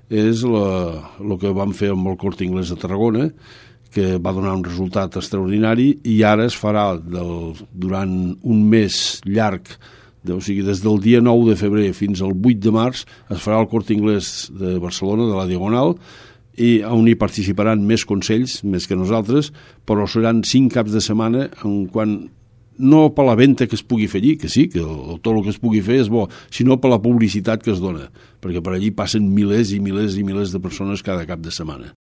és el que vam fer amb el Corte Inglés de Tarragona, que va donar un resultat extraordinari, i ara es farà durant un mes llarg, o sigui, des del dia 9 de febrer fins al 8 de març, es farà el Corte Inglés de Barcelona, de la Diagonal, i on hi participaran més consells, més que nosaltres, però seran 5 caps de setmana no per la venda que es pugui fer allí, que sí, que tot el que es pugui fer és bo, sinó per la publicitat que es dona, perquè per allí passen milers i milers i milers de persones cada cap de setmana.